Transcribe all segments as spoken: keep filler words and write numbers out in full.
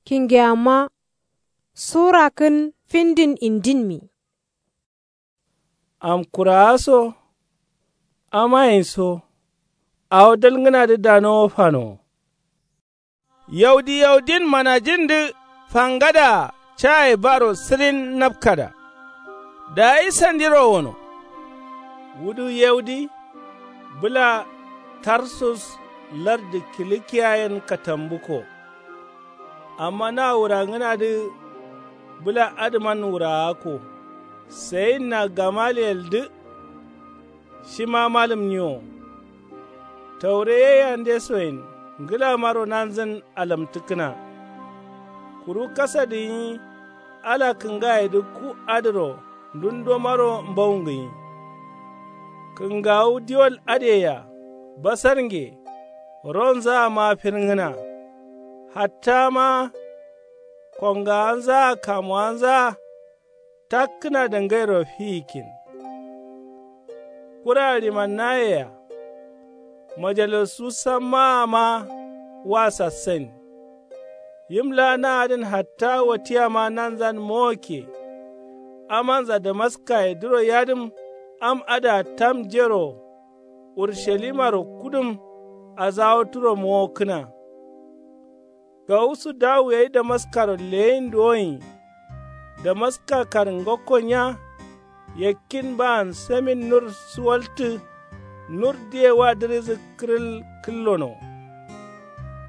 Kingeyamma sura kǝn findin indinmi. Amkurawa so amayen so awo dalngǝnadǝ danowo fanowo. Yaudi yaudin manajindǝ fangadǝa caye baro sǝrin napkada. Dayi sandiro wono. Wudu yaudi bǝla tarsus lardǝ kilikiyayen katambuko. Amma na wurangǝnadǝ bǝla adǝman wurawako. Sayinna gamaliyeldǝ shima malǝmniwo. Taure ye yandesoyen ngǝlamaro nanzǝn alamtǝkkǝna. Kuru kasadǝ nyi ala kǝngayedǝ ku adǝro ndundomaro mbaungǝnyi. Kǝngawu diwol adǝyea basarnge ronzaama firngǝna. Hattama kongawanzaa kamuwanzaa takkǝna dangairo fiyikkin. Kura ɍimannayea majalasu sammaama wa sassain. Yim laa na adǝn hatta watiyama nanzan mowokke. Amanza damaskayedǝro yadǝm am adǝa tam jero urushalimaro kudum azawoturo mowokkǝna. Gawusu dawu gai damaskaro leyin duwoyin. Damaska karǝngokko nya yakkin baan samin nur suwaltǝ. Nur diye wa dǝrizǝ kǝrǝl kǝllono.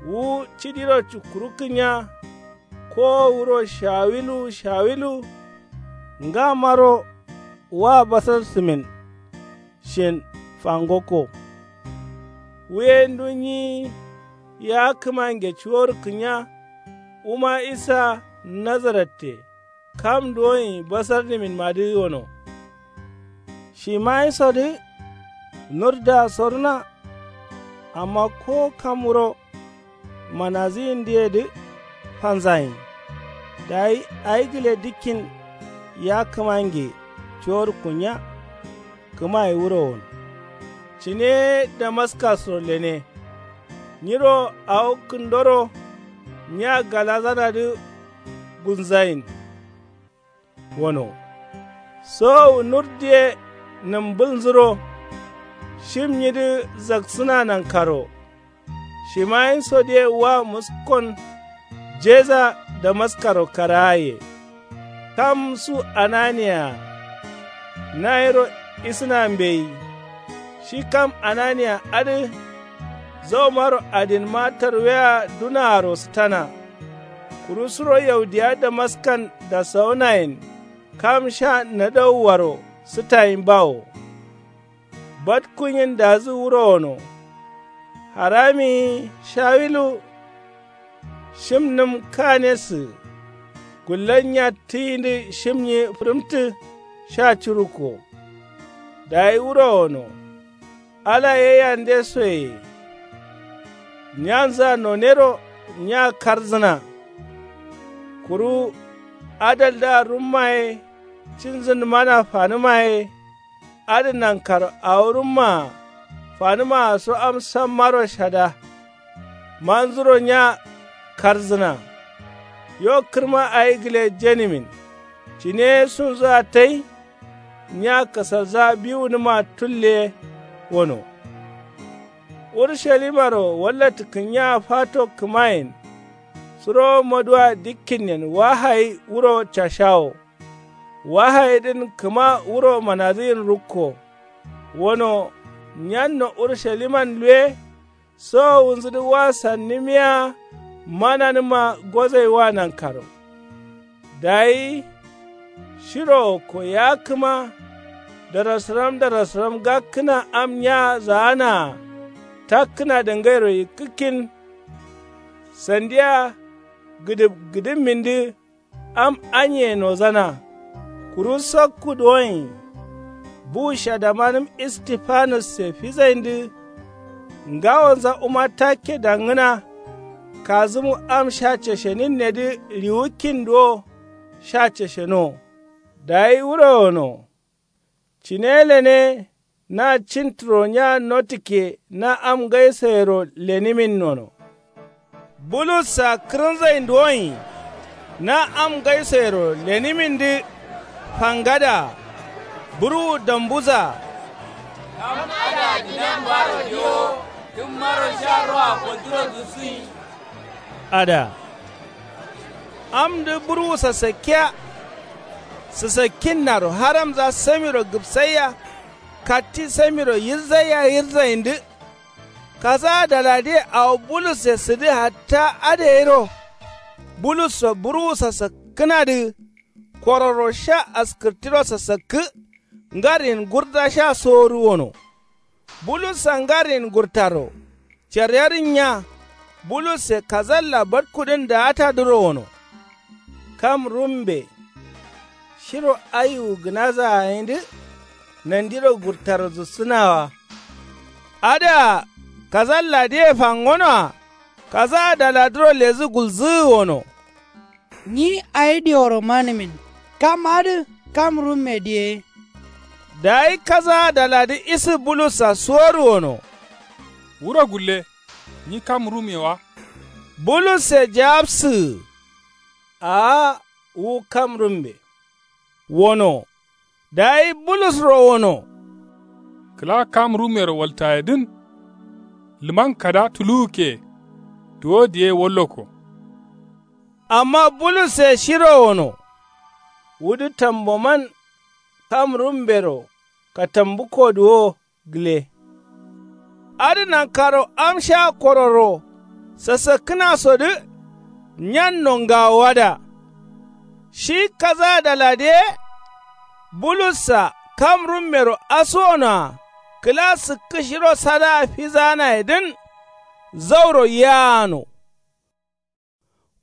Wu cidiro cukkurukkǝ nya kowo wuro shawilu shawilu. Ngamaro wa basar sǝmin shin fangokko. Wuye ndu nyi ya kǝmange cuworkǝ nya wuma isa nazaratte kam duwoyin basarniminmadǝ wono. Shimayisodǝ nurdǝa soruna. Amma ko kam wuro manazǝyindǝyedǝ fanzayin. Dayi ayi gǝle dikkin ya kǝmange cuworkku nya. Kǝmaye wuro wono. Cine ye damaskasro lene. Nyiro awo kǝndoro nya galazanadǝ gunzayin. Wono sowowu nur diye nǝmbǝlnzuro. Shim nyidǝ zaksǝna nankaro. Shimayinso diye wa muskon jeza damaskaro karaye. Kam su ananiyaya nayiro isǝna mbeyi. Shi kam ananiya adǝ zaumaro adinma tarwea dunaaro sǝtana. Kuru suro yaudiya damaskan dasawunayen kam sha nadauwaro sǝtayin bawo. Batkunyin dazǝ wuro wono. Haramiyi shawilu shimnǝm kanesǝ. Gullan nya tǝyindǝ shimnyi fǝrǝmtǝ sha curukko. Dayi wuro wono. Ala ye yande soye. Nyanza nonero nya karzǝna. Kuru adaldǝa rumma ye cinzǝndǝmana fanǝma ye. Adǝ nankaro awo rummaa fanǝmaa so am sammaro shada. Manzuro nya karzǝna. Yo kǝrma ayi gǝle jenimin. Cine ye sunzǝa tai. Nya kasalza biwunǝma tulle wono. Urushalimaro wallattǝkkǝnnya fato kǝmayen. Suro maduwa dikkinnen wahayi wuro cashawo. Wahayidǝn kǝma wuro manadǝyin rukko. Wono nyanno urusaliman luwe. Sowowunzǝdǝ wa sannǝmiya mananǝma gozai wa nankaro. Dayi shiro wokko ya kǝma darasǝram darasǝram gakkǝna am nya zaanaa. Takkǝna dangairo yikkǝkkin. Sandiya gǝdǝb gǝdǝmmindǝ am anyiye nozana. Kuru sakku duwoyin bu shadamanǝm istifanusse fizaindǝ. Ngawonza wuma takke dangǝna. Kazǝmu am sha ceshenin nedǝ riwukkin duwo sha ceshenowo. Dayi wuro wono. Cine lene na cintǝro nya notǝkke na am ngaisoyero lenǝmin nono. Bulussa kǝrǝnzain duwonyi. Na am ngaisoyero lenimindǝ. Fangada. Burwu dambuza. Kam ada dǝnan baro diwo. Tǝmmaro sha roa kolduro dǝsǝyi. Ada. Amdǝ burwu sassakkiya. Sǝsakkinnaro haramza samiro gǝbsaiya. Katti samiro yirzaia yirzayindǝ. Kaza daladiye awo bulusse sǝdǝ hatta adǝ gairo. Bulusso burwu sasakkǝnadǝ. Kororo sha askǝrtiro sasakkǝ. Ngarin gurda sha sowodu wono. Bulussa ngarin gurtaro. Caryarin nya. Bulusse kazalla badkudǝn daatadǝro wono. Kam rumbe. Shiro aiwu gǝnaza gǝnidǝ. Nandiro gurtaro zussǝna wa. Adǝa kazalla diye fangonoa. Kaza daladǝro lezǝ gulzǝgǝ wono. Nyi ayi dioro manǝmin. Kam adǝ kam rumme diye. Dayi kaza daladǝ isǝ bulussa suwodu wono. Wuro gulle. Nyi kam rumme wa. Bulusse jawabsǝgǝ. Aa wu kam rumme. Wono. Dayi bulusro wono. Kǝla kam rummero waltayedǝn. Lǝman kada tuluwukke. Duwo diye walloko. Amma bulusse shiro wono. Wudǝ tamboman. Kam rummero katambukko duwo. Gǝle. Adǝ nankaro am sha kororo. Sasakkǝnasodǝ. Nyanno ngawoada. Shi kaza daladiye. Bulussa kam rummero asuwonoa. Kǝla sǝkkǝ shiro sadaa fizaanayedǝn. Zauro yaano.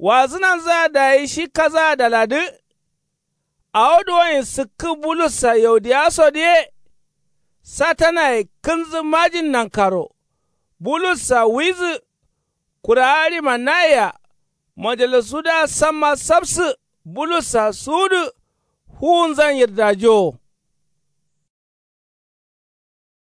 Wazǝnanzǝa dayi shi kaza daladǝ. Awo duwoin sǝkkǝ bulussa yaudiyasodǝ ye. Satanaye kǝnzǝ majin nankaro. Bulussa wuizǝ. Kurawa ɍimannaye-a. Majalisuda samma sapsǝ. Bulussa suwudǝ. Fuwunzan yirdajowo.